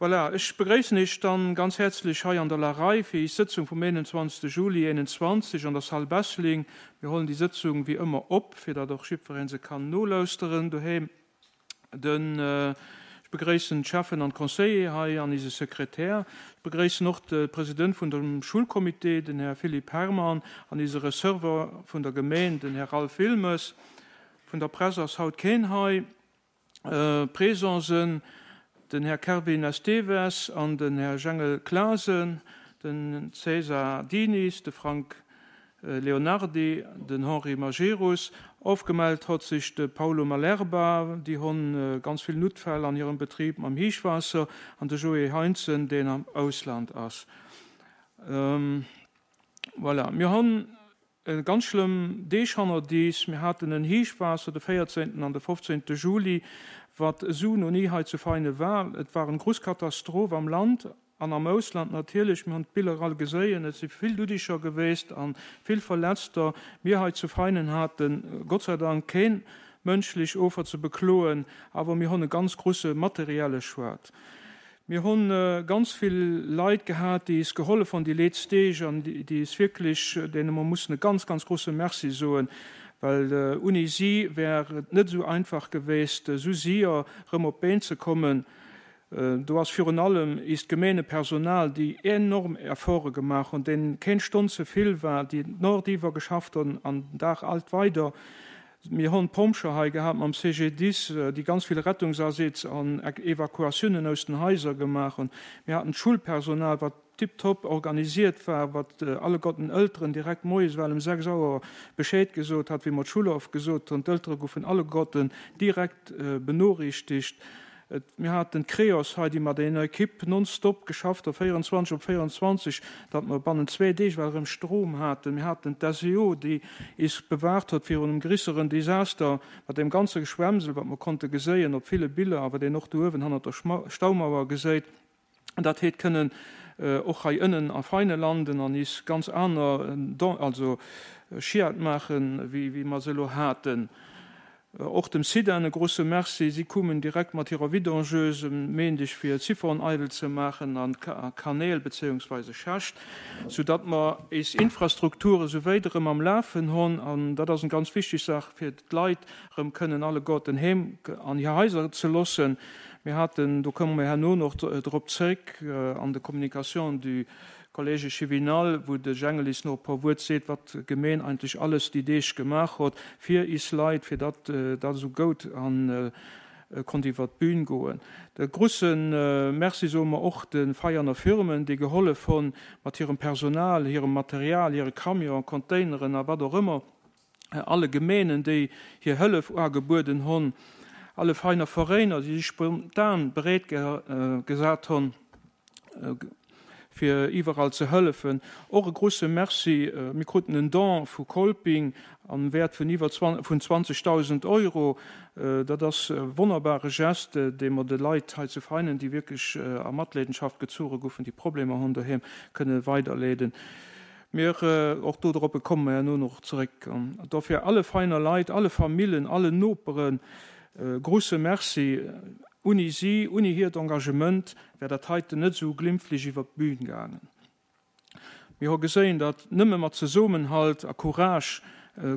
Voilà, ech begréissen Iech dann ganz häerzlech hei an der Larei fir is Sëtzung vum 21. Juli 21 an der Salle Bessling. Mir hollen déi Sëtzung wéi ëmmer op, fir datt och jiddwereen se kann nolauschteren doheem. Den, ech begréissen d'Cheffen an d'Conseiller hei an ise Sekretär. Ech begréissen och de President vun dem Schulcomité, den Här Philippe Herrmann, an ise Receveur vun der Gemeen, den Här Ralph Wilmes. Vun der Press ass haut keen hei. Présent sënn den Här Kervin Esteves an den Här Jengel Clasen, den César Diniz, de Frank Leonardy, den Henri Majerus. Ofgemellt hott sech de Paulo Malerba, déi honn ganz vill Noutfäll an hirem Betrib mam Heechwaasser, an de Joé Heintzen, deen am Ausland ass. Voilà, mir honn Ganz schlëmm Deeg hannert iis. Mir haten en Heechwaasser de 14 an de 15 Juli, wat esou no ni hei zu Veinen war. Et war en gruss Katastroph am Land an am Ausland natierlech. Mir hunn d'Biller all geséien. Et si vill Duddiger geweest an vill Verletzter. Mir hei zu Veinen haten Gott sei Dank keen mënschlech Ofer ze bekloen, awer mir hunn e ganz grusse materielle Schued. Mir hunn ganz vill Leit gehat, déi is gehollef hunn déi leetz Deeg an déi is wierklech, deene mer mussen e ganz, ganz grosse Merci soen, well unni si wär et net esou einfach geweest, esou sier erëm op d'Been ze kommen. Do ass virun allem iist Gemeengepersonal, déi enorm Efforte gemaach hunn, deenen keen Stonn ze vill war, déi nordiwwer geschafft hunn an den Dag alt weider. Mir honn d'Pompcher hei gehat mam CGDIS, déi ganz vill Rettungsaseez an Evakuatiounen aus den Haiser gemaach hunn. Mir haten d'Schullpersonal, wat tiptop organisiert war, wat alleguerten Elteren direkt moies well um 6 Auer Bescheed gesot hat, wéi mer d'Schull ofgesot hunn. D'Eltere goufen alleguerten direkt benoriichtegt. Mir haten d'Creos hei, déi mat enger Ekipp nonstop geschafft hu, 24 op 24, datt mer bannent zwéi Deeg well erëm Strom haten. Mir haten d'SEO, déi is bewahrt huet virun engem grisseren Desaster mat deem ganze Geschwemmsel, wat mer konnte geséien op ville Biller a wat een och do uewen hannert der Staumauer geséit. Dat heet kënnen och hei ënnen a Veine landen an is ganz aner, also Schiat maachen, wéi mer se elo haten. Och dem SIDAN e grosse Merci, si koumen direkt mat hirer Vidangeuse um Méindeg fir Siphon eidel ze maachen an Kanäl bezéiungsweise Schächt, sou datt mer éis Infrastrukture sou wéit erëm am Lafen honn. An dat ass en ganz wichteg Saach fir d'Leit erëm kënnen alleguerten heem an hir Haiser ze loossen. Mir haten, do komme mer herno noch drop zréck, an de Communications du Collège Chevinal, wou de Jengel is no e puer Wuert seet, wat d'Gemeen eigentlech alles déi Deeg gemaach hott fir is Leit, fir datt dat esou goud an konnt iwwer d'Bühn goen. De grusse Merci soe mer och de Veianer Firmen, déi gehollef honn mat hirem Personal, hirem Material, hire Camion, Containeren a wat och ëmmer, alle Gemeenen, déi hir Hëllef uagebueden honn, alle Veiner Veréiner, déi sech spontan bereet gesat honn, fir iwwerall ze hëllefen. Och e grusse Merci, mir kruten en Don vu Kolping am Wäert vun iwwer vun 20.000 Euro. Dat ass e wonnerbare Geste, dee mer de Leit hei zu Veinen, déi wierklech a Matleedenschaft gezuche goufen, déi Problemer hunn doheem, kënne weiderleeden. Mir, och dodroppe komme mer herno nach zeréck. Dofir alle Veiner Leit, alle Famillen, allen Noperen e grusse Merci. Unni si, unni hiert Engagement wär dat heiten net esou glimpflich iwwert d'Bühn gaangen. Mir hu geséien, datt nëmme mat Zesummenhalt a Courage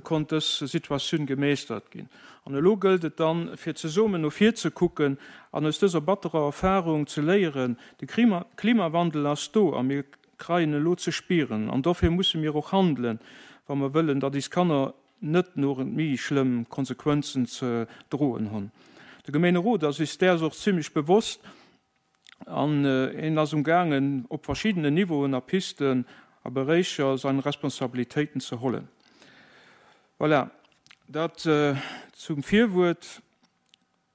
konnt dës Situatioun gemeeschtert ginn. An elo gëllt et dann, fir zesummen no vir ze kucken an aus dëser batterer Erfahrung ze léieren. De Klimawandel ass do a mir kreien elo ze spieren. An dofir musse mir och handelen, wa mer wëllen, datt is Kanner net no méi schlëmm Konsequenzen ze droen hunn. De Gemeenerot ass is däers och zimlech bewosst an en ass um gaangen, op verschiddenen Niveauen a Pisten a Beréicher sein Responsabilitéiten ze hollen. Voilà, dat zum Virwuert.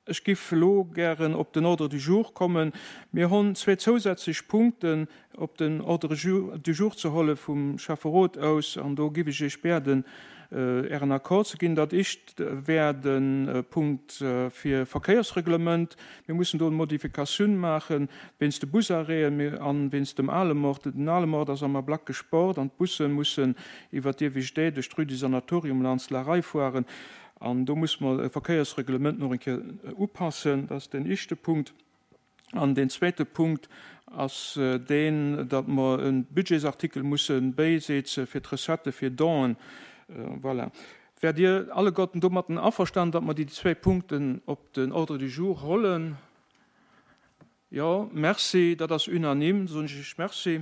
Ech giff elo gären op den Ordre du jour kommen. Mir honn zwee zousätzlech Punkten op den Ordre du jour ze holle vum Schäfferot aus, an do giff ech Iech biäden, Ären Accord ze ginn. Dat éischt wär de Punkt fir Verkéiersreglement. Mir mussen do eng Modifikatioun maache wéinst de Busarrêten an wéinst dem Alemort. Den Alemort ass am Ablack gesport an d'Busse mussen iwwer d'Iewescht duerch d'Rue du Sanatorium laanscht d'Larei fueren. An do muss mer e Verkéiersreglement nach eng Kéier upassen. Dat ass deen éischte Punkt. An deen zweete Punkt ass deen, datt mer e Budgetsartikel musse bäiseeze fir d'Recettë fir Donen. Voilà. Wäert Dir alleguerten domatten averstanen, datt mer déi zwéi Punkten op den Ordre du jour hollen? Jo, merci. Dat ass unanime. Da soen ech Iech Merci.